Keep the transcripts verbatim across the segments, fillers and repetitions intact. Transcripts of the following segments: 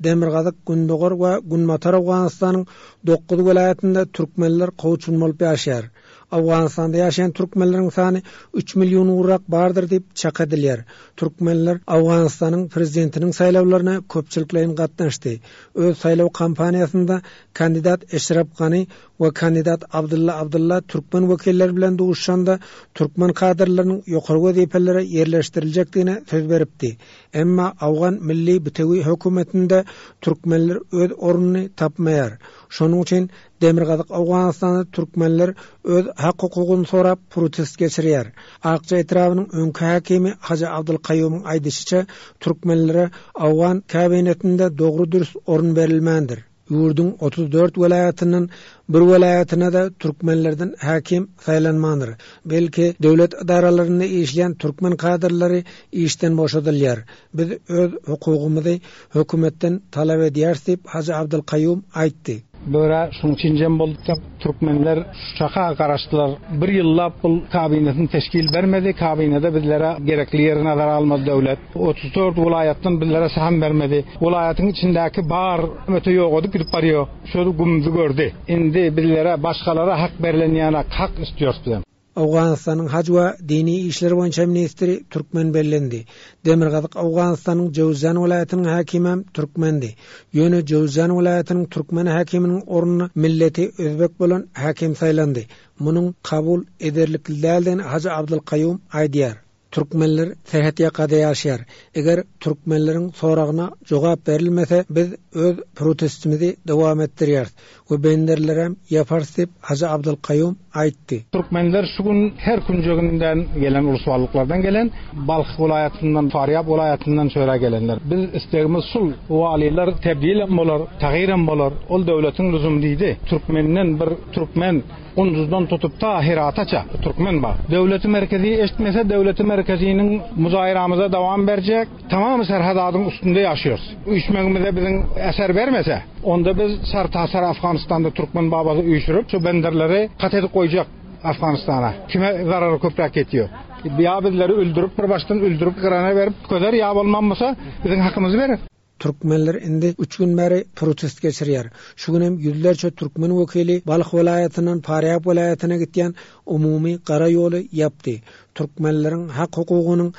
Demirgazyk, Gündogar we Günbatar Owganystanyň dokuz welaýatynda türkmenler kowçum bolup ýaşaýar. Owganystanda ýaşaýan türkmenleriň sany üç million gowrak bardyr diýip çak edilýär. Türkmenler Owganystanyň prezidentiniň saýlawlaryna köpçülikleýin gatnaşdy. Öz saýlaw kampaniýasynda kandidat Eşref Gani we kandidat Abdylla Abdylla türkmen wekilleri bilen duşuşanda türkmen kadrlarynyň ýokary wezipelere ýerleşdiriljekdigine söz beripdi. Emma Owgan Milli Bitewi hökümetinde türkmenler öz ornuny tapmaýar. Şonuň üçin Demirgazyk Owganystanda türkmenler öz hak hukugyny sorap protest geçirýär. Akja etrabynyň öňki häkimi Hajy Abdylkaýumyň aýdyşyça, türkmenlere Owgan kabinetinde dogry dürs orun berilmändir. Ýurduň otuz dört welaýatyndan bir welaýatyna-da türkmenlerden häkim saýlanmandyr. Belki döwlet edaralarynda işleýän türkmen kadrlary işden boşadylýar. Biz öz hukugymyzy hökümetden talap edýäris diýip Hajy Abdylkaýum aýtdy. Böre şuň üçin jem bolduk. Türkmenler şu çaka garaşdylar. Bir ýyllap bu kabinetini teşkil bermedi. Kabinede bizlere gerekli ýeri nazara almaz döwlet. otuz dört welaýatdan bizlere saham bermedi. Welaýatyň içindäki bar öte ýok gidip barýar. Şol gümdi gördi. Indi bizlere başgalara hak berilen ýana hak istiyoruz bizem. Owganystanyň Haj we dini işler boýunça ministri türkmen bellendi. Demirgazyk Owganystanyň Jowzjan welaýatynyň häkimi türkmendi. Ýöne Jowzjan welaýatynyň türkmen häkiminiň ornuna milleti özbek bolan häkim saýlandy. Munuň kabul ederlikli däldigini Hajy Abdylkaýum aýdýar. Türkmenler serhet ýakada ýaşaýar. Eger türkmenleriň soragyna jogap berilmese, biz öz protestimizi dowam etdirýäris we benderlerem ýaparys diýip Hajy Abdylkaýum aýtdy. Türkmenler şu gün her künjeginden gelen uluslarlyklardan gelen Balh welaýatyndan, Farýab welaýatyndan şöyle gelenler. Biz istegimiz şul waliler tebdil bolar, tagýir bolar. Ol döwletiň lüzum diýdi. Türkmenden bir türkmen Unduzdan tutup ta Hirataça türkmen bar. Döwleti merkezi eşitmese döwleti merkeziniň muzaýramyza dowam berjek. Tamam serhadadyň üstünde ýaşıyoruz. Üýşmegimize biziň eser bermese, onda biz sartasar Afganistanda türkmen babazy üýşürip şu benderleri kat edip goýjak Afganistana. Kime zarary köpräk ýetiyor? Ýa bizleri öldürip bir başdan öldürip gyrana berip köder ýa bolmamasa biziň hakymyzy berer. Türkmenler indi üç gün bäri protest geçirýär. Şu gün hem ýüzlerçe türkmen wekili Balh welaýatyndan Farýab welaýatyna gitýän umumy gara ýoly ýapdy. Türkmenleriň hak hukugynyň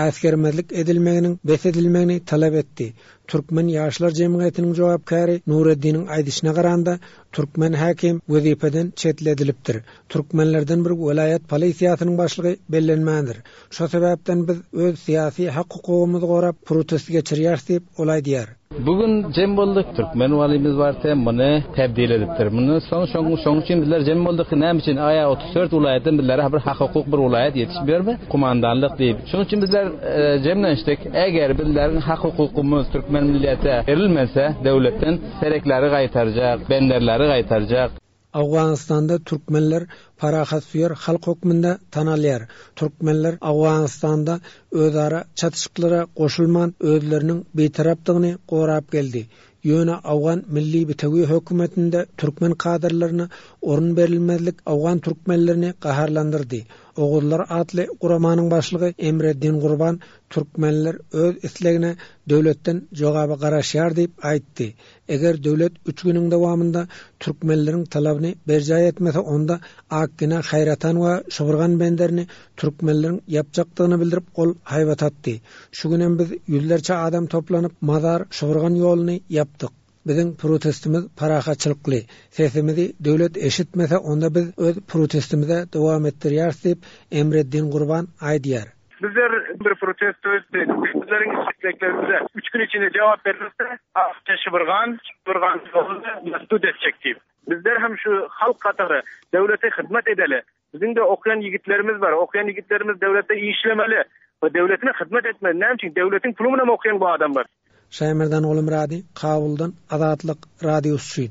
äsgermezlik edilmeginiň bes edilmegini talap etdi. Türkmen Ýaşlar Jemgyýetiniň jogapkäri Nureddiniň aýdyşyna garanda türkmen häkim wezipeden çetledilipdir. Türkmenlerden bir welaýat polisiýasynyň başlygy bellenmändir. Şo sebäpden biz öz syýasy hak hukugymyzy gorap protest geçirýäris diýip ol aýdýar. Bugün jem bolduk. Türkmen valimiz var te bunu tebdil edipdir. Bundan soň şoň şoň üçin bizler jem bolduk. Näme üçin aya otuz dört welaýatdan bizlere bir hak hukuk bir welaýat ýetişmiyor mi? Kumandanlyk diýip. Şoň üçin bizler e, jemlenişdik. Eger bizlerin hak hukukumuz Türkmen millete verilmese döwletden serekleri gaýtarjak, benderleri gaýtarjak. Owganystanda türkmenler parahatsöýer halk hökmünde tanalýar. Türkmenler Owganystanda özara çatışyklara goşulman özleriniň bitarapdygyny gorap geldi. Ýöne Owgan Milli Bitewi hökümetinde türkmen kadrlaryna orun berilmezlik Owgan türkmenlerini gaharlandyrdy. Oguzlar atly guramanyň başlygy Emreddin Gurban türkmenler öz islegine döwletden jogaba garaşýar diýip aýtdy. Eger döwlet üç günüň dowamynda türkmenleriň talabyny berjaý etmese, onda Akgina, Haýratan we Şuburgan benderini türkmenleriň ýapjakdygyny bildirip ol haýbat atdy. Şu günem biz ýüzlerçe adam toplanyp Mazar Şuburgan ýoluny ýapdyk. Biziň protestimiz parahatçylykly. Sesimizi döwlet eşitmese, onda biz öz protestimize dowam etdirýäris diýip Emreddin Gurban aýdýar. Bizler bir protesto etdik. Bizlerin isteklerimize üç gün içinde cevap verilirse Akça Şıbırgan, Şıbırgan yolunu mesdud edecek deyip. Bizler hem şu halk katary devlete hizmet edeli. Bizim de okuyan yiğitlerimiz var. Okuyan yiğitlerimiz devlete işlemeli ve devletine hizmet etmeli. Ne için? Devletin pulumuna mı okuyan bu adamlar? Şaýmerdan Oğlumradi, Kabuldan Azatlyk Radiosy.